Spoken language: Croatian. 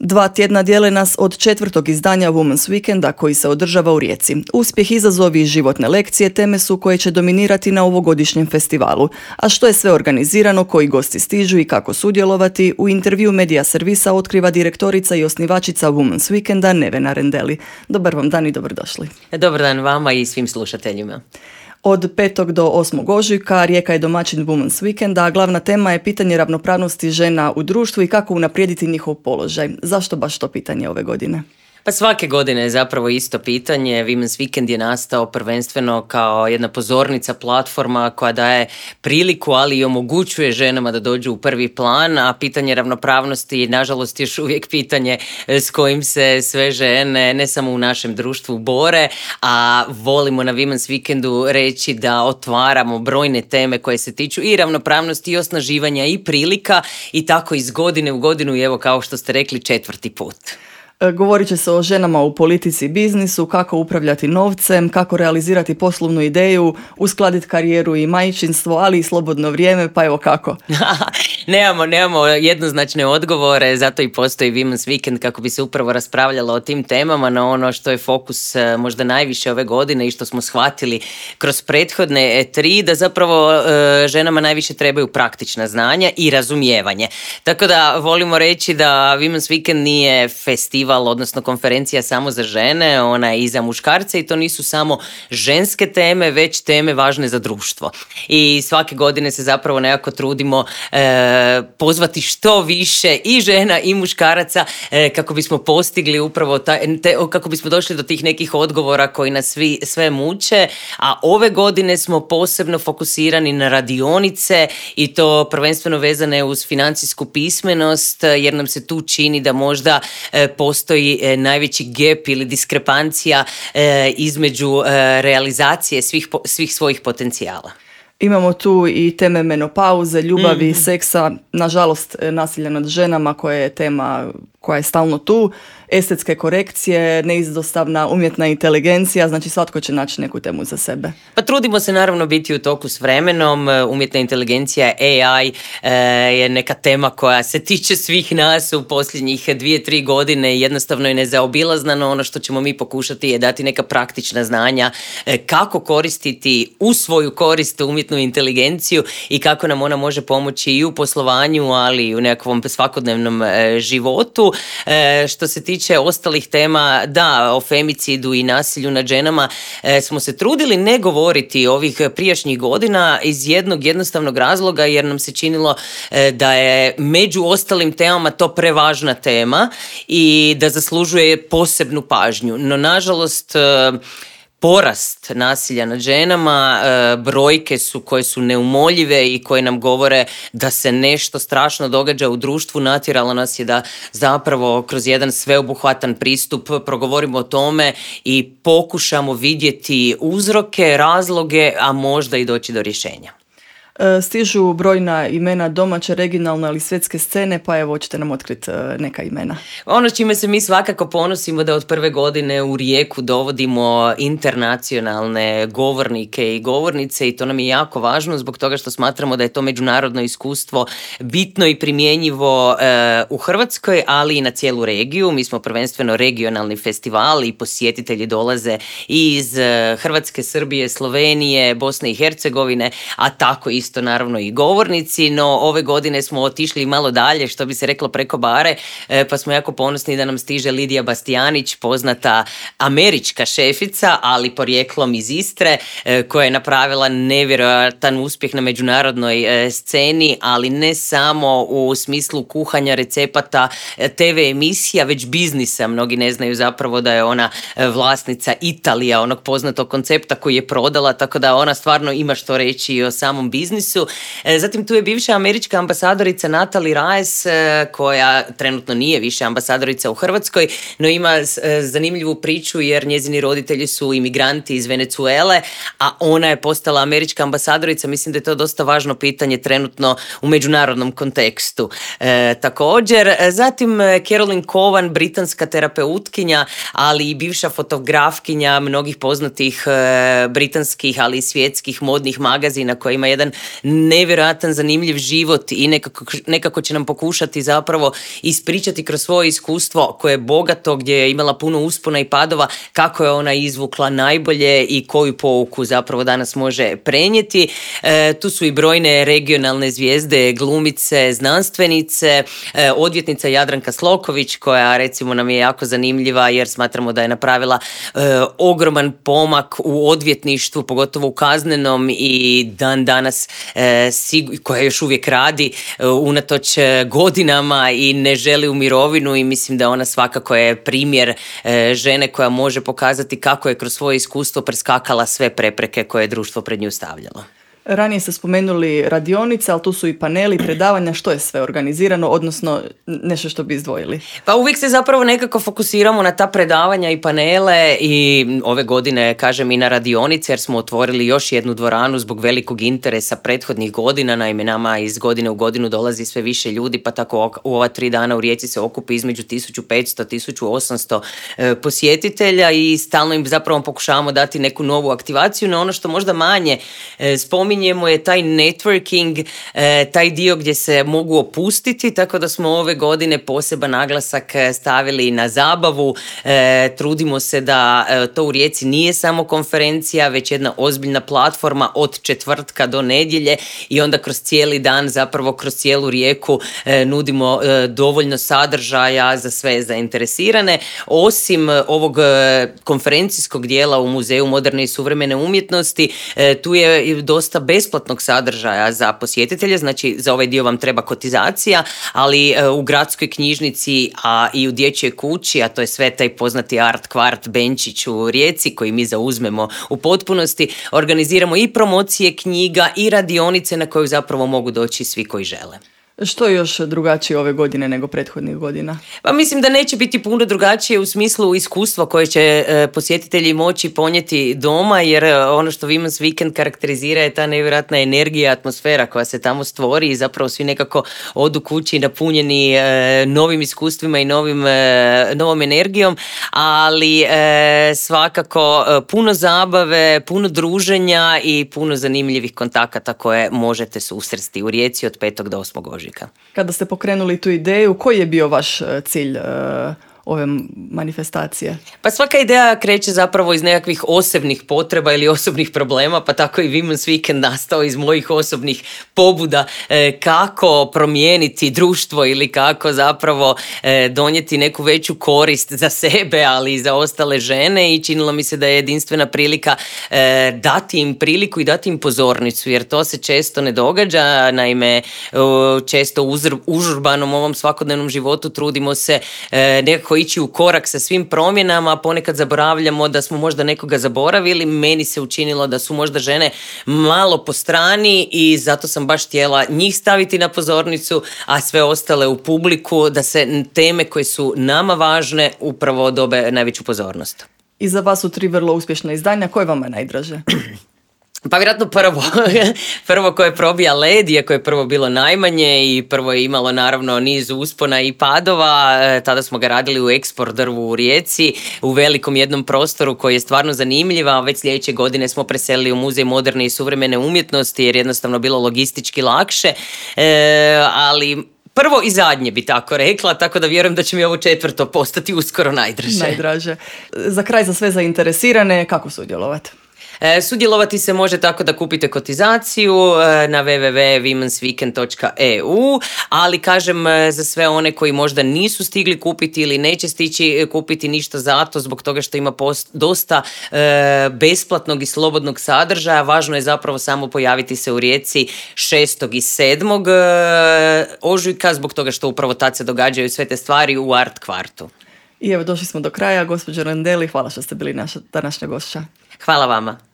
2 tjedna dijele nas od 4. izdanja Women's Weekenda koji se održava u Rijeci. Uspjeh, izazovi i životne lekcije teme su koje će dominirati na ovogodišnjem festivalu. A što je sve organizirano, koji gosti stižu i kako sudjelovati, u intervju Medija servisa otkriva direktorica i osnivačica Women's Weekenda Nevena Rendeli. Dobar vam dan i dobrodošli. Dobar dan vama i svim slušateljima. Od 5. do 8. ožujka Rijeka je domaćin Women's Weekenda, a glavna tema je pitanje ravnopravnosti žena u društvu i kako unaprijediti njihov položaj. Zašto baš to pitanje ove godine? Pa svake godine je zapravo isto pitanje. Women's Weekend je nastao prvenstveno kao jedna pozornica, platforma koja daje priliku, ali i omogućuje ženama da dođu u prvi plan, a pitanje ravnopravnosti je nažalost još uvijek pitanje s kojim se sve žene, ne samo u našem društvu, bore, a volimo na Women's Weekendu reći da otvaramo brojne teme koje se tiču i ravnopravnosti i osnaživanja i prilika i tako iz godine u godinu i evo kao što ste rekli 4. put. Govorit će se o ženama u politici i biznisu, kako upravljati novcem, kako realizirati poslovnu ideju, uskladiti karijeru i majčinstvo, ali i slobodno vrijeme, pa evo kako. Nemamo jednoznačne odgovore, zato i postoji Women's Weekend kako bi se upravo raspravljalo o tim temama, na ono što je fokus možda najviše ove godine i što smo shvatili kroz prethodne 3, da zapravo ženama najviše trebaju praktična znanja i razumijevanje. Tako da volimo reći da Women's Weekend nije festival, odnosno konferencija samo za žene, ona je i za muškarce i to nisu samo ženske teme, već teme važne za društvo. I svake godine se zapravo nekako trudimo pozvati što više i žena i muškaraca kako bismo postigli upravo kako bismo došli do tih nekih odgovora koji nas sve muče, a ove godine smo posebno fokusirani na radionice i to prvenstveno vezane uz financijsku pismenost, jer nam se tu čini da možda postoji najveći gap ili diskrepancija između realizacije svih svojih potencijala. Imamo tu i teme menopauze, ljubavi, seksa, nažalost nasilja nad ženama koja je tema koja je stalno tu, estetske korekcije, neizostavna umjetna inteligencija, znači svatko će naći neku temu za sebe. Pa trudimo se naravno biti u toku s vremenom, umjetna inteligencija, AI je neka tema koja se tiče svih nas u posljednjih 2-3 godine, jednostavno je nezaobilazna, no ono što ćemo mi pokušati je dati neka praktična znanja kako koristiti u svoju korist umjetnu inteligenciju i kako nam ona može pomoći i u poslovanju, ali i u nekakvom svakodnevnom životu. Što se tiče ostalih tema, da, o femicidu i nasilju nad ženama smo se trudili ne govoriti ovih prijašnjih godina iz jednog jednostavnog razloga, jer nam se činilo da je među ostalim temama to prevažna tema i da zaslužuje posebnu pažnju. No, nažalost, porast nasilja nad ženama, brojke su koje su neumoljive i koje nam govore da se nešto strašno događa u društvu. Natjeralo nas je da zapravo kroz jedan sveobuhvatan pristup progovorimo o tome i pokušamo vidjeti uzroke, razloge, a možda i doći do rješenja. Stižu brojna imena domaće, regionalne ali svjetske scene, pa evo hoćete nam otkriti neka imena. Ono s čime se mi svakako ponosimo da od prve godine u Rijeku dovodimo internacionalne govornike i govornice i to nam je jako važno zbog toga što smatramo da je to međunarodno iskustvo bitno i primjenjivo u Hrvatskoj, ali i na cijelu regiju. Mi smo prvenstveno regionalni festival i posjetitelji dolaze i iz Hrvatske, Srbije, Slovenije, Bosne i Hercegovine, a tako isto naravno i govornici, no ove godine smo otišli malo dalje, što bi se reklo preko bare, pa smo jako ponosni da nam stiže Lidija Bastijanić, poznata američka šefica, ali porijeklom iz Istre, koja je napravila nevjerojatan uspjeh na međunarodnoj sceni, ali ne samo u smislu kuhanja, recepata, TV emisija, već biznisa. Mnogi ne znaju zapravo da je ona vlasnica Italija, onog poznatog koncepta koji je prodala, tako da ona stvarno ima što reći i o samom biznisu. Zatim tu je bivša američka ambasadorica Natalie Reyes, koja trenutno nije više ambasadorica u Hrvatskoj, no ima zanimljivu priču jer njezini roditelji su imigranti iz Venezuele, a ona je postala američka ambasadorica. Mislim da je to dosta važno pitanje trenutno u međunarodnom kontekstu. Također, zatim Caroline Cowan, britanska terapeutkinja, ali i bivša fotografkinja mnogih poznatih britanskih, ali i svjetskih modnih magazina, koja ima jedan nevjerojatan zanimljiv život i nekako će nam pokušati zapravo ispričati kroz svoje iskustvo koje je bogato, gdje je imala puno uspona i padova, kako je ona izvukla najbolje i koju pouku zapravo danas može prenijeti. Tu su i brojne regionalne zvijezde, glumice, znanstvenice, odvjetnica Jadranka Sloković, koja recimo nam je jako zanimljiva jer smatramo da je napravila ogroman pomak u odvjetništvu, pogotovo u kaznenom, i dan danas koja još uvijek radi unatoč godinama i ne želi u mirovinu, i mislim da ona svakako je primjer žene koja može pokazati kako je kroz svoje iskustvo preskakala sve prepreke koje je društvo pred nju stavljalo. Ranije ste spomenuli radionice, ali tu su i paneli, predavanja, što je sve organizirano, odnosno nešto što bi izdvojili? Pa uvijek se zapravo nekako fokusiramo na ta predavanja i panele, i ove godine kažem i na radionice, jer smo otvorili još jednu dvoranu zbog velikog interesa prethodnih godina. Naime, nama iz godine u godinu dolazi sve više ljudi, pa tako u ova 3 dana u Rijeci se okupi između 1500-1800 posjetitelja i stalno im zapravo pokušavamo dati neku novu aktivaciju. No ono što možda manje spominjemo je taj networking, taj dio gdje se mogu opustiti, tako da smo ove godine poseban naglasak stavili na zabavu. Trudimo se da to u Rijeci nije samo konferencija, već jedna ozbiljna platforma od četvrtka do nedjelje, i onda kroz cijeli dan, zapravo kroz cijelu Rijeku nudimo dovoljno sadržaja za sve zainteresirane. Osim ovog konferencijskog dijela u Muzeju moderne i suvremene umjetnosti, tu je dosta besplatnog sadržaja za posjetitelje, znači za ovaj dio vam treba kotizacija, ali u gradskoj knjižnici, a i u dječjoj kući, a to je sve taj poznati art kvart Benčić u Rijeci koji mi zauzmemo u potpunosti, organiziramo i promocije knjiga i radionice na koju zapravo mogu doći svi koji žele. Što je još drugačije ove godine nego prethodnih godina? Pa mislim da neće biti puno drugačije u smislu iskustva koje će posjetitelji moći ponijeti doma, jer ono što Women's Weekend karakterizira je ta nevjerojatna energija, atmosfera koja se tamo stvori, i zapravo svi nekako odu kući napunjeni novim iskustvima i novom energijom, ali svakako puno zabave, puno druženja i puno zanimljivih kontakata koje možete susresti u Rijeci od 5. do 8. ožujka. Kada ste pokrenuli tu ideju, koji je bio vaš cilj ove manifestacije? Pa svaka ideja kreće zapravo iz nekakvih osobnih potreba ili osobnih problema, pa tako i Women's Weekend nastao iz mojih osobnih pobuda kako promijeniti društvo ili kako zapravo donijeti neku veću korist za sebe, ali i za ostale žene, i činilo mi se da je jedinstvena prilika dati im priliku i dati im pozornicu, jer to se često ne događa. Naime, često u užurbanom ovom svakodnevnom životu trudimo se nekako ići u korak sa svim promjenama, ponekad zaboravljamo da smo možda nekoga zaboravili. Meni se učinilo da su možda žene malo po strani, i zato sam baš htjela njih staviti na pozornicu, a sve ostale u publiku, da se teme koje su nama važne upravo dobe najveću pozornost. I za vas su 3 vrlo uspješna izdanja, koje vam je najdraže? Pa vjerojatno prvo koje probija led, iako je prvo bilo najmanje i prvo je imalo naravno niz uspona i padova. Tada smo ga radili u Eksport drvu u Rijeci, u velikom jednom prostoru koji je stvarno zanimljiva. Već sljedeće godine smo preselili u Muzej moderne i suvremene umjetnosti, jer jednostavno bilo logistički lakše, ali prvo i zadnje bi tako rekla, tako da vjerujem da će mi ovo 4. postati uskoro najdraže. Za kraj, za sve zainteresirane, kako sudjelovati? Sudjelovati se može tako da kupite kotizaciju na www.womensweekend.eu, ali kažem, za sve one koji možda nisu stigli kupiti ili neće stići kupiti ništa zato, zbog toga što ima dosta besplatnog i slobodnog sadržaja, važno je zapravo samo pojaviti se u Rijeci 6. i 7. ožujka, zbog toga što upravo tad se događaju sve te stvari u art kvartu. I evo, došli smo do kraja. Gospođo Randeli, hvala što ste bili naša današnja gošća. Hvala vama.